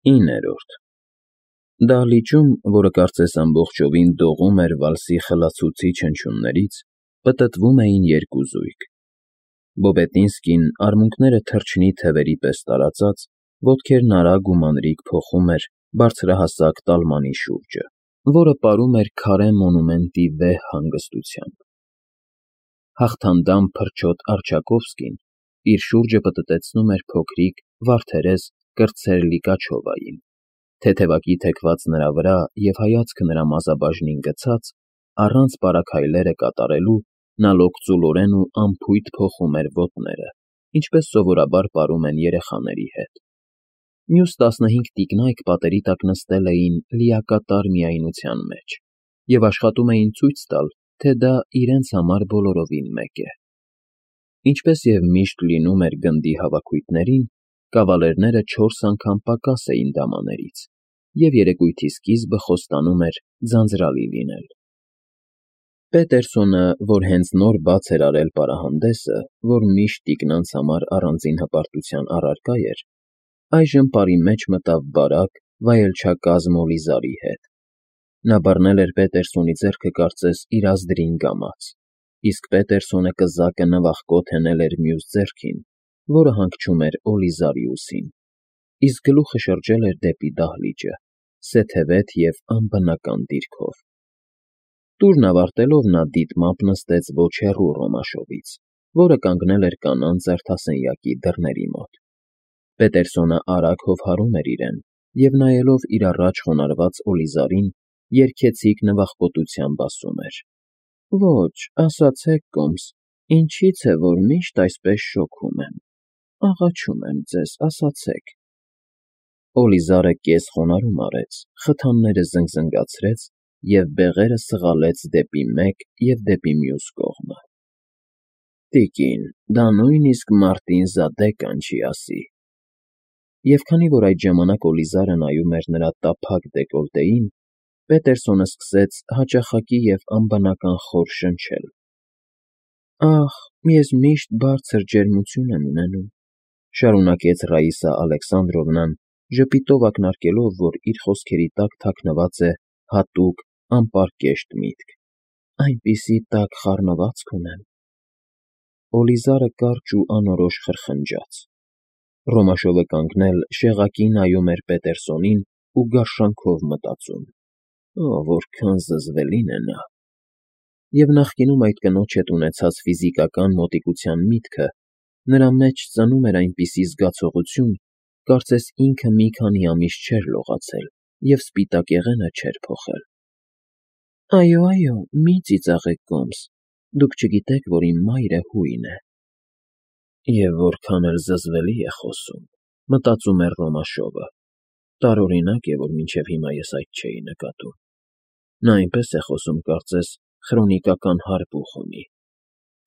9-րդ Դահլիճում, որը կարծես ամբողջովին դողում էր վալսի խլացուցիչ հնչյուններից, պտտվում էին երկու զույգ. Բոբետինսկին, արմունկները թռչնի թևերի պես տարածած, ոտքերն արագ ու մանրիկ փոխում էր բարձրահասակ տալմանի շուրջը, որը պարում էր քարե մոնումենտի վեհ հանգստությամբ։ Հաղթանդամ փրչոտ Արչակովսկին իր շուրջը պտտեցնում էր փոքրիկ, վարդերես կրտսեր Լիկաչովային, թեթևակի թեքված նրա վրա և հայացքը նրա մազաբաժնին գցած, առանց պարաքայլերը կատարելու նա լոկծուլորեն ու անփույթ փոխում էր ոտները, ինչպես սովորաբար պարում են երեխաների հետ։ Մյուս 15 տիկնայք պատերի տակ նստել էին լիակատար միայնության մեջ և աշխատում էին ցույց տալ, թե դա իրենց համար բոլորովին մեկ է։ Ինչպես և միշտ լինում էր գնդի հավաքույթներին, կավալերները 4 անգամ պակաս էին դամաներից, և երեկույթի սկիզբը խոստանում էր ձանձրալի լինել։ Պետերսոնը, որ հենց նոր բաց էր արել պարահանդեսը, որ միշտ տիկնանց համար առանձին հպարտության առարկա էր, այժմ պարի մեջ մտավ բարակ, վայելչակազմ Օլիզարի հետ։ Նա բռնել էր Պետերսոնի ձեռքը կարծես իր ազդրին կամաց, իսկ Պետերսոնը կզակը նվախկոտ հենել էր մյուս ձեռքին, որը հանգչում էր Օլիզարի ուսին, իսկ գլուխը շրջել էր դեպի դահլիճը, սեթևետ և անբնական դիրքով։ Տուրն ավարտելով նա դիտմամբ նստեց ոչ հեռու Ռոմաշովից, որը կանգնել էր կանանց զարդասենյակի դռների մոտ։ Պետերսոնը արագ հովհարում էր իրեն և նայելով իր առաջ խոնարհված Օլիզարին, երգեցիկ նվախկոտությամբ ասում էր. «Ոչ, ասացեք, կոմս, ինչի՞ց է, որ միշտ այսպես շոգում եմ, աղաչում եմ ձեզ, ասացեք»։ Օլիզարը կես խոնարհում արեց, խթանները զնգզնգացրեց և բեղերը սղալեց դեպի մեկ և դեպի մյուս կողմը։ «Տիկին, դա նույնիսկ Մարտին Զադե կանչի ասի»։ Եվ քանի որ այդ ժամանակ Օլիզարը նայում էր նրա տափակ դեկոլտեին, Պետերսոնը սկսեց հաճախակի և անբնական խոր շնչել. «Ախ, ես միշտ բարձր ջերմություն եմ ունենում», շարունակեց Ռաիսա Ալեքսանդրովնան, ժպիտով ակնարկելով, որ իր խոսքերի տակ թաքնված է հատուկ, անպարկեշտ միտք, «այնպիսի տաք խառնվածք ունեմ»։ Օլիզարը կարճ ու անորոշ խրխնջաց։ Ռոմաշովը կանգնել շեղակի նայում էր Պետերսոնին ու գարշանքով մտածում. որքան զզվելին է նա։ Եվ նախկինում այդ կնոջ հետ ունեցած ֆիզիկական մոտիկության միտքը նրա մեջ ծնում էր այնպիսի զգացողություն, կարծես ինքը մի քանի ամիս չէր լողացել և սպիտակեղենը չէր փոխել։ «Այո, մի ծիծաղեք, կոմս, դուք չգիտեք, որ իմ մայրը հույն է»։ Եվ որքան էլ զզվելի է խոսում, մտածում էր Ռոմաշովը, տարօրինակ է, որ մինչև հիմա ես այդ չէի նկատում։ Նա այնպես է խոսում, կարծես խրոնիկական հարբուխ ունի,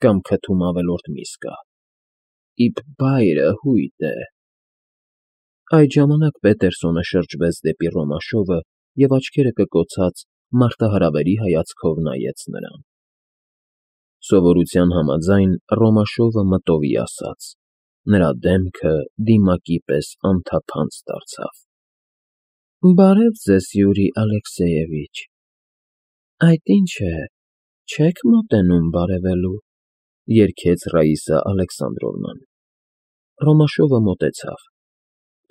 կամ քթում ավելորդ միս կա։ Իբ բայրը հույտ է։ Այդ ժամանակ Պետերսոնը շրջվեց դեպի Ռոմաշովը և աչքերը կկոցած մարտահրավերի հայացքով նայեց նրան։ Սովորության համաձայն Ռոմաշովը մտովի ասաց. նրա դեմքը դիմակի պես անթափանց դարձավ։ «Բարև ձեզ, Յուրի Ալեքսեևիչ։ Այդ ինչ է, չե՞ք մոտենում բարևելու», երգեց Ռաիսա Ալեքսանդրովնան։ Ռոմաշովը մոտեցավ։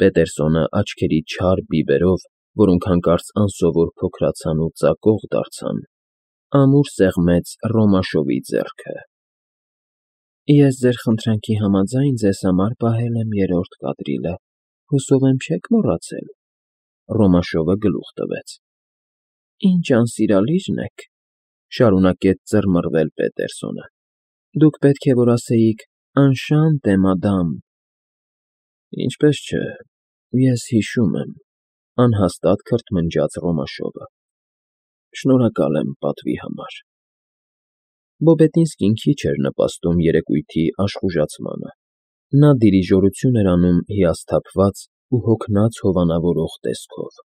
Պետերսոնը աչքերի չար բիբերով, որոնք հանկարծ անսովոր փոքրացան ու ծակող դարձան, ամուր սեղմեց Ռոմաշովի ձեռքը։ «Ես ձեր խնդրանքի համաձայն ձեզ համար պահել եմ 3-րդ կադրիլը, հուսով եմ չեք մոռացել»։ Ռոմաշովը գլուխ տվեց։ «Ինչ անսիրալիրն եք», շարունակեց ծռմռվել Պետերսոնը։ «Դուք պետք է որ ասեիք «Անշանտե մադամ»։ Ինչպես չէ, ես հիշում եմ», անհաստատ քրթմնջաց Ռոմաշովը։ «Շնորհակալ եմ պատվի համար»։ Բոբետինսկին քիչ էր նպաստում երեկույթի աշխուժացմանը։ Նա դիրիժորություն էր անում հիասթափված ու հոգնած հովանավորող տեսքով,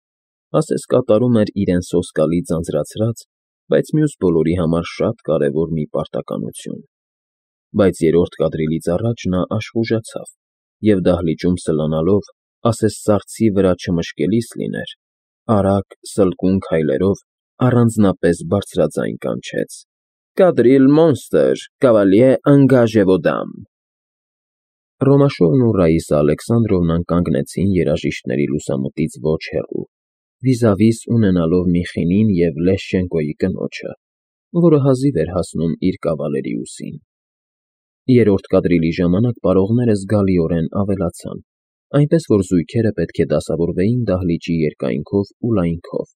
ասես կատարում էր իրեն սոսկալի ձանձրացրած, բայց մյուս բոլորի համար շատ կարևոր մի պարտականություն։ Բայց 3-րդ կադրիլից առաջ նա աշխուժացավ և դահլիճում սլանալով ասես սառցի վրա չմշկելիս լիներ, արագ, սլկուն քայլերով առանձնապես բարձրաձայն կանչեց. «Կադրիլ մոնստր, կավալյե անգաժե ոդամ»։ Ռոմաշովն ու Ռաիսա Ալեքսանդրովնան կանգնեցին երաժիշտների լուսամուտից ոչ հեռու, վիզավիս ունենալով Միխինին և Լեշչենկոյի կնոջը, որը հազիվ էր հասնում իր կավալերի ուսին։ Երրորդ կադրիլի ժամանակ պարողները զգալիորեն ավելացան, այնպես որ զույգերը պետք է դասավորվեին դահլիճի երկայնքով ու լայնքով։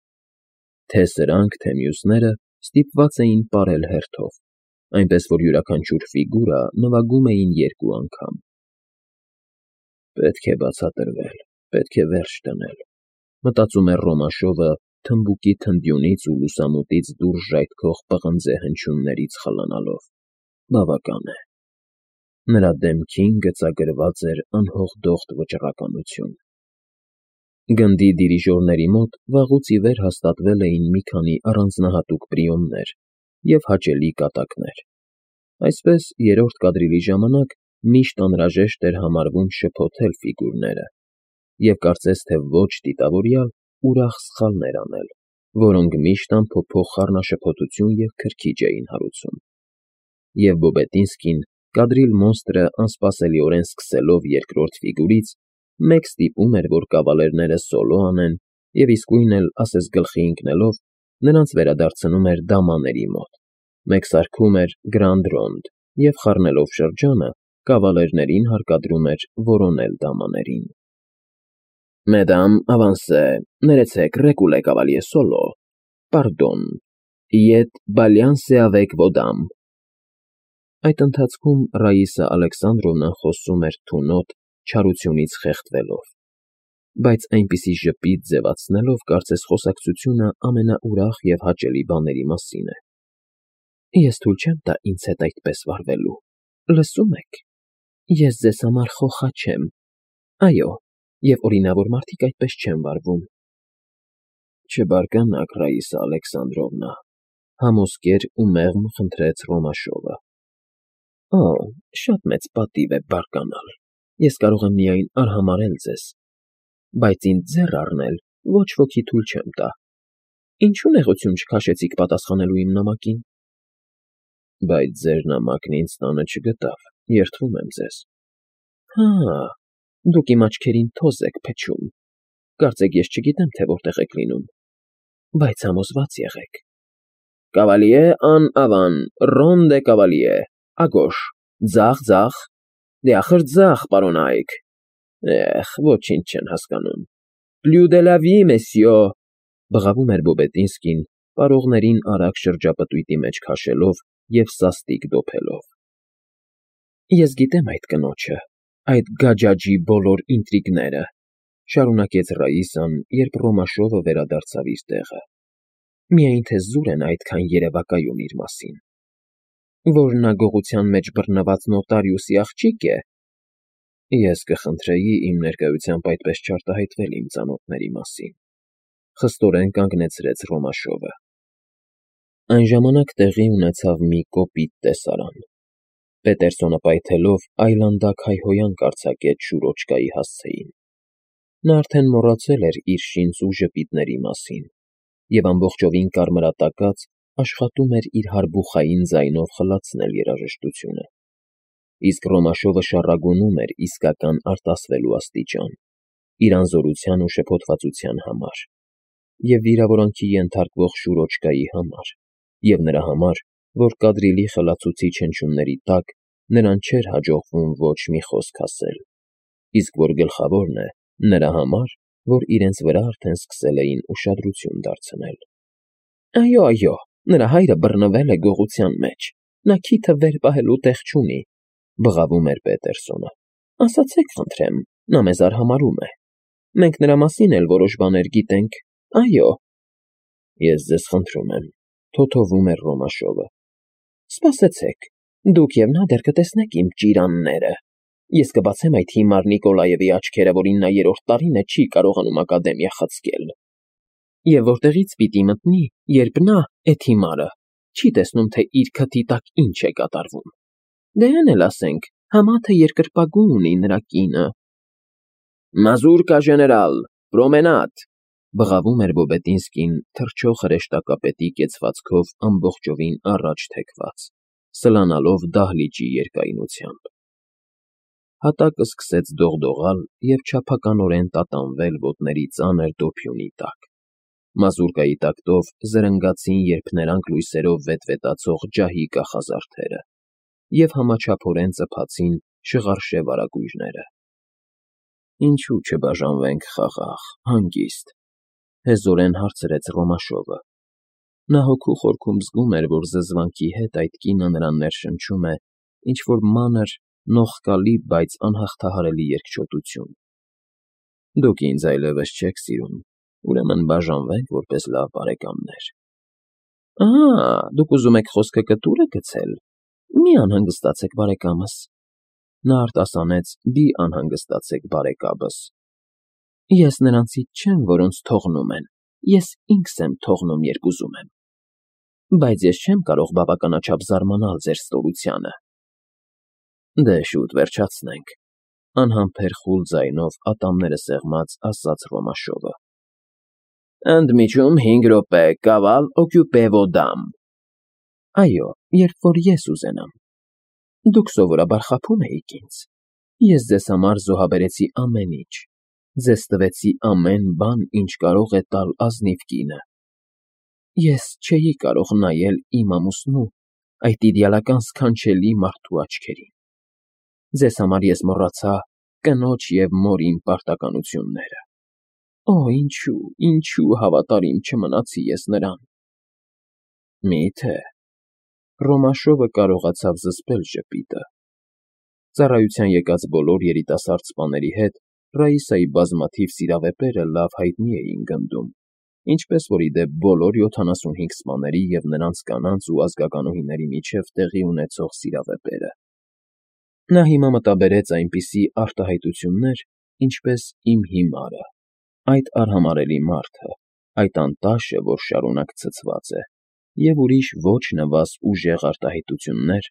Թե սրանք, թե մյուսները ստիպված էին պարել հերթով, այնպես որ յուրաքանչյուր ֆիգուրա նվագում էին երկու անգամ։ «Պետք է բացատրվել, պետք է վերջ դնել», մտածում էր Ռոմաշովը թմբուկի թնդյունից ու լուսամուտից դուրս ժայթքող պղնձե հնչյուններից խլանալով։ Բավական է։ Նրա դեմքին գծագրված էր անհողդողդ վճռականություն։ Գնդի դիրիժորների մոտ վաղուց ի վեր հաստատվել էին մի քանի առանձնահատուկ պրիոմներ և հաճելի կատակներ։ Այսպես, երրորդ կադրիլի ժամանակ միշտ անհրաժեշտ էր համարվում շփոթել ֆիգուրները և կարծես թե ոչ դիտավորյալ ուրախ սխալներ անել, որոնք միշտ անփոփոխ խառնաշփոթություն և քրքիջ էին հարուցում։ Եվ Բոբետինսկին, կադրիլ մոնստրը անսպասելիորեն սկսելով երկրորդ ֆիգուրից, մեկ ստիպում էր, որ կավալերները սոլո անեն և իսկույն էլ, ասես գլխի ընկնելով, նրանց վերադարձնում էր դամաների մոտ, մեկ սարքում էր Գրանդ Ռոնդ և, խառնելով շրջանը, կավալերներին հարկադրում էր որոնել դամաներին։ «Մեդամ, ավանսե, ներեցեք, ռեկուլե կավալյե սոլո, պարդոն, իետ բալյանսե ավեկ ոդամ»։ Այդ ընթացքում Ռաիսա Ալեքսանդրովնան խոսում էր թունոտ, չարությունից խեղդվելով, բայց այնպիսի ժպիտ ձևացնելով, կարծես խոսակցությունը ամենաուրախ և հաճելի բաների մասին է։ «Ես թույլ չեմ տա ինձ հետ այդպես վարվելու, լսում եք, ես ձեզ համար խոխա չեմ, այո, և օրինավոր մարդիկ այդպես չեն վարվում»։ Չբարկանաք, Ռաիսա Ալեքսանդրովնա, համոսկեր ու մեղմ խնդրեց Ռոմաշովը։ Օ, շատ մեծ պատիվ է բարկանալ, ես կարող եմ միայն արհամարհել ձեզ, բայց ինձ ձեռ առնել ոչ ոքի թույլ չեմ տա։ Ինչու նեղություն չքաշեցիք պատասխանելու իմ նամակին։ Բայց ձեր նամակն ինձ տանը չգտավ, երդվում եմ ձեզ։ Հա, դուք իմ աչքերին թոզ եք փչում, կարծեք ես չգիտեմ, թե որտեղ եք լինում, բայց համոզված եղեք։ Կավալյե ան ավան, ռոնդե կավալյե, ագոշ, ձախ, ձախ, դե ախր ձախ, պարոնայք։ Ոչինչ չեն հասկանում։ Plus de la vie, messieurs, բղավում էր Բոբետինսկին, պարողներին արագ շրջապտույտի մեջ քաշելով և սաստիկ դոփելով։ Ես գիտեմ այդ կնոջը, այդ գաջաջի բոլոր ինտրիգները, շարունակեց Ռաիսան, երբ Ռոմաշովը վերադարձավ իր տեղը։ Միայն թե զուր են այդքան երևակայում իր մասին։ Որ նա գողության մեջ բռնված նոտարիուսի աղջիկ է։ Ես կխնդրեի իմ ներկայությամբ այդպես չարտահայտվել իմ ծանոթների մասին, խստորեն կանգնեցրեց Ռոմաշովը։ Այն ժամանակ տեղի ունեցավ մի կոպիտ տեսարան։ Պետերսոնը պայթելով այլանդակ հայհոյանք արձակեց Շուրոչկայի հասցեին։ Նա արդեն մոռացել էր իր շինծու ժպիտների մասին և ամբողջովին կարմրատակած աշխատում էր իր հարբուխային ձայնով խլացնել երաժշտությունը։ Իսկ Ռոմաշովը շառագոնում էր իսկական արտասվելու աստիճան, իր անզորության ու շփոթվածության համար, և վիրավորանքի ենթարկվող Շուրոչկայի համար, և նրա համար, որ կադրիլի խլացուցիչ հնչյունների տակ նրան չէր հաջողվում ոչ մի խոսք ասել, իսկ որ գլխավորն է, նրա համար, որ իրենց վրա արդեն սկսել էին ուշադրություն դարձնել։ Այո, այո, նրա հայրը բռնվել է գողության մեջ, նա քիթը վեր պահելու տեղ չունի, բղավում էր Պետերսոնը։ Ասացեք, խնդրեմ, նա մեզ արհամարհում է։ Մենք նրա մասին էլ որոշ բաներ գիտենք, այո։ Ես ձեզ խնդրում եմ, թոթովում էր Ռոմաշովը։ Սպասեցեք, դուք և նա դեռ կտեսնեք իմ ճիրանները։ Ես կբացեմ այդ հիմար Նիկոլաևի աչքերը, որին նա երրորդ տարին է չի կարողանում ակադեմիա խցկել։ Եվ որտեղից պիտի մտնի, երբ նա, էդ հիմարը, չի տեսնում, թե իր քթի տակ ինչ է կատարվում։ Դե այն էլ ասենք, համա թե երկրպագու ունի նրա կինը։ Մազուրկա ժեներալ, պրոմենադ, բղավում էր Բոբետինսկին թռչող հրեշտակապետի կեցվածքով ամբողջովին առաջ թեքված, սլանալով դահլիճի երկայնությամբ։ Հատակը սկսեց դողդողալ և չափականորեն տատանվել ոտների ծանր դոփյունի տակ։ Մազուրկայի տակտով զրնգացին երփներանգ լույսերով վետվետացող ջահի կախազարդերը և համաչափորեն ծփացին շղարշե վարագույրները։ Ինչու չբաժանվենք խաղաղ, հանգիստ, հեզորեն հարցրեց Ռոմաշովը։ Նա հոգու խորքում զգում էր, որ զզվանքի հետ այդ կինը նրան ներշնչում է ինչ-որ մանր, նողկալի, բայց անհաղթահարելի երկչոտություն։ Դուք ինձ այլևս չեք սիրում, ուրեմն բաժանվենք որպես լավ բարեկամներ։ Դուք ուզում եք խոսքը կտուրը գցել։ Մի անհանգստացեք, բարեկամս։ Նա արտասանեց «Դի անհանգստացեք, բարեկաբս»։ Ես նրանցից չեմ, որոնց թողնում են, ես ինքս եմ թողնում, երբ ուզում եմ։ Բայց ես չեմ կարող բավականաչափ զարմանալ ձեր ստորությանը։ Դե շուտ վերջացնենք, անհամբեր խուլ ձայնով ատամները սեղմած ասաց Ռոմաշովը։ Ընդմիջում 5 րոպե, կավալ օկյուպե վո դամ։ Այո, երբ որ ես ուզենամ։ Դուք սովորաբար խաբում էիք ինձ։ Ես ձեզ համար զոհաբերեցի ամեն ինչ, ձեզ տվեցի ամեն բան, ինչ կարող է տալ ազնիվ կինը։ Ես չէի կարող նայել իմ ամուսնու, այդ իդեալական սքանչելի մարդու աչքերին։ Ձեզ համար ես մոռացա կնոջ և մորիմ պարտականությունները։ Ինչու հավատարիմ չմնացի ես նրան։ Մի՞թե։ Ռոմաշովը կարողացավ զսպել ժպիտը։ Ծառայության եկած բոլոր երիտասարդ սպաների հետ Ռաիսայի բազմաթիվ սիրավեպերը լավ հայտնի էին գնդում, ինչպես որ ի դեպ բոլոր 75 սպաների և նրանց կանանց ու ազգականուհիների միջև տեղի ունեցող սիրավեպերը։ Նա հիմա մտաբերեց այնպիսի արտահայտություններ, ինչպես «Իմ հիմարը», «Այդ արհամարհելի մարդը», «Այդ անտաշը, որ շարունակ ցցված է» և ուրիշ ոչ նվազ ուժեղ արտահայտություններ,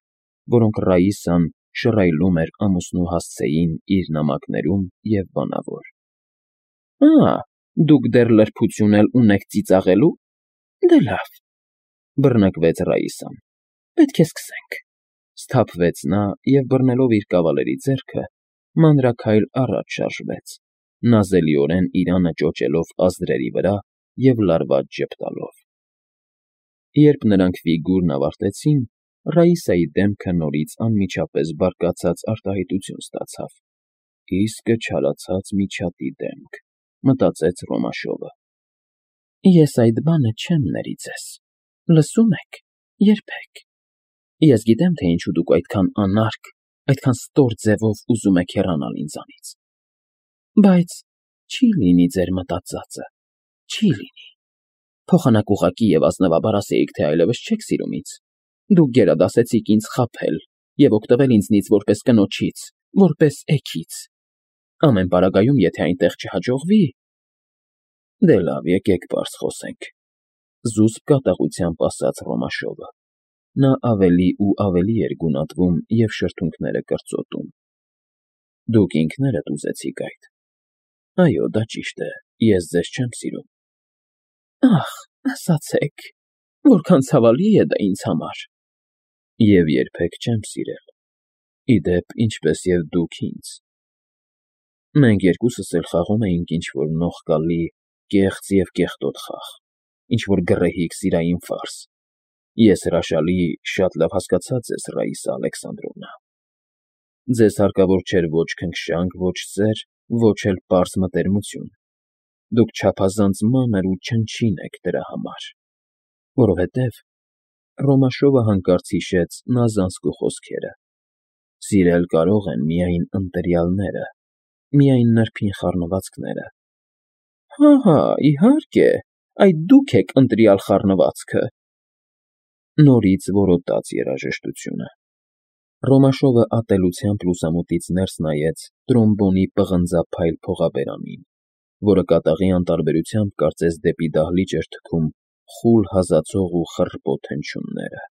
որոնք Ռաիսան շռայլում էր ամուսնու հասցեին իր նամակներում և բանավոր։ Դուք դեռ լրբություն էլ ունեք ծիծաղելու։ Դե լավ, բռնկվեց Ռաիսան։ Պետք է սկսենք։ Սթափվեց նա և բռնելով իր կավալերի ձեռքը, մանրաքայլ առաջ շարժվեց, նազելիորեն իրանը ճոճելով ազդրերի վրա և լարված ժպտալով։ Երբ նրանք ֆիգուրն ավարտեցին, Ռաիսայի դեմքը նորից անմիջապես բարկացած արտահայտություն ստացավ։ Իսկը չարացած միջատի դեմք, մտածեց Ռոմաշովը։ Ես այդ բանը չեմ ների ձեզ։ Լսում եք, երբեք։ Ես գիտեմ, թե ինչու դուք այդքան անարգ, այդքան ստոր ձևով ուզում եք հեռանալ ինձանից։ Բայց չի լինի ձեր մտածածը, չի լինի։ Փոխանակ ուղղակի և ազնվաբար ասեիք, թե այլևս չեք սիրում ինձ։ Դուք գերադասեցիք ինձ խաբել և օգտվել ինձնից որպես կնոջից, որպես էգից։ Ամեն պարագայում, եթե այնտեղ չհաջողվի… Դե լավ, եկեք պարզ խոսենք, զուսպ կատաղությամբ ասաց Ռոմաշովը։ Նա ավելի ու ավելի էր գունատվում և շրթունքները կրծոտում։ Դուք ինքներդ ուզեցիք այդ։ Այո, դա ճիշտ է, ես ձեզ չեմ սիրում։ Ասացեք, որքան ցավալի է դա ինձ համար։ Եվ երբեք չեմ սիրել։ Ի դեպ, ինչպես և դուք ինձ։ Մենք երկուսս էլ խաղում էինք ինչ-որ նողկալի, կեղծ և կեղտոտ խաղ, ինչ-որ գռեհիկ սիրային ֆարս։ Ես հրաշալի, շատ լավ հասկացա ձեզ, Ռաիսա Ալեքսանդրովնա։ Ձեզ հարկավոր չէր ոչ քնքշանք, ոչ սեր, ոչ էլ պարզ մտերմություն։ Դուք չափազանց մանր ու չնչին եք դրա համար։ Որովհետև… Ռոմաշովը հանկարծ հիշեց Նազանսկու խոսքերը. սիրել կարող են միայն ընտրյալները, միայն նրբին խառնվածքները։ Իհարկե, այդ դուք եք ընտրյալ խառնվածքը։ Նորից որոտաց երաժշտությունը։ Ռոմաշովը ատելությամբ լուսամուտից ներս նայեց տրոմբոնի պղնձափայլ փողաբերանին, որը կատաղի անտարբերությամբ կարծես դեպի դահլիճ էր թքում խուլ հազացող ու խռպոտ հնչյունները։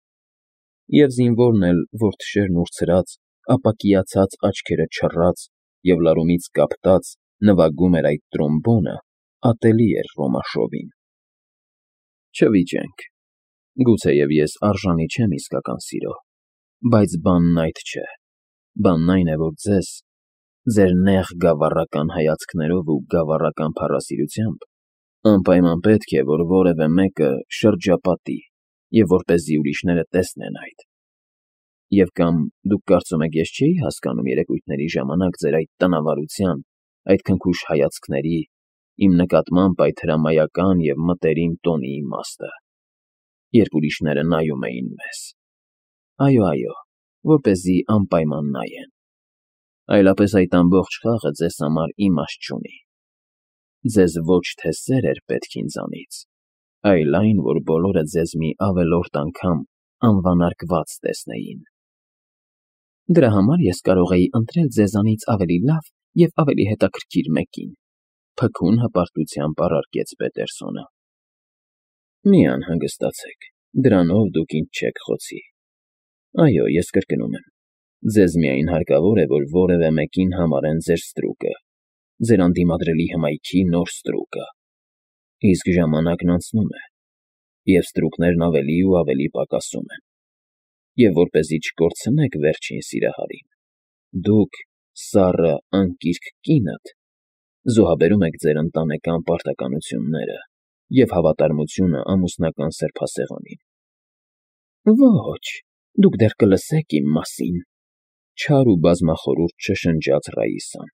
Եվ զինվորն էլ, որ թշերն ուրցրած, ապակիացած աչքերը չռած և լարումից կապտած, նվագում էր այդ տրոմբոնը, ատելի էր Ռոմաշովին։ Չվիճենք, գուցեև ես արժանի չեմ իսկական սիրո, բայց բանն այդ չէ, բանն այն է, որ ձեր նեղ գավառական հայացքներով ու գավառական փառասիրությամբ անպայման պետք է, որ որևէ մեկը շրջապատի և որպեսզի ուրիշները տեսնեն այդ։ Եվ կամ դուք կարծում եք ես չէի հասկանում երեկույթների ժամանակ ձեր այդ տնավարության, այդ քնքուշ հայացքների, իմ նկատմամբ այդ հրամայական և մտերիմ տոնի իմաստը, երբ ուրիշները նայում էին մեզ։ Այո, որպեսզի անպայման նայեն։ Այլապես այդ ամբողջ խաղը ձեզ համար իմաստ չունի։ Ձեզ ոչ թե սեր էր պետք ինձանից, այլ այն, որ բոլորը ձեզ մի ավելորդ անգամ անվանարկված տեսնեին։ Դրա համար ես կարող էի ընտրել ձեզանից ավելի լավ և ավելի հետաքրքիր մեկին, փքուն հպարտությամբ առարկեց Պետերսոնը։ Մի անհանգստացեք, դրանով դուք ինձ չեք խոցի։ Այո, ես կրկնում եմ, ձեզ միայն հարկավոր է, որ որևէ մեկին համարեն ձեր ստրուկը, ձեր անդիմադրելի հմայքի նոր ստրուկը, իսկ ժամանակն անցնում է, և ստրուկներն ավելի ու ավելի պակասում են, և որպեսզի չկորցնեք վերջին սիրահարին, դուք, սառը, անկիրք կինդ, զոհաբերում եք ձեր ընտանեկան պարտականությունները և հավատարմությունը ամուսնական սրբասեղանին։ Ոչ, դուք դեռ կլսեք իմ մասին, չար ու բազմախորհուրդ չշնջաց Ռաիսան։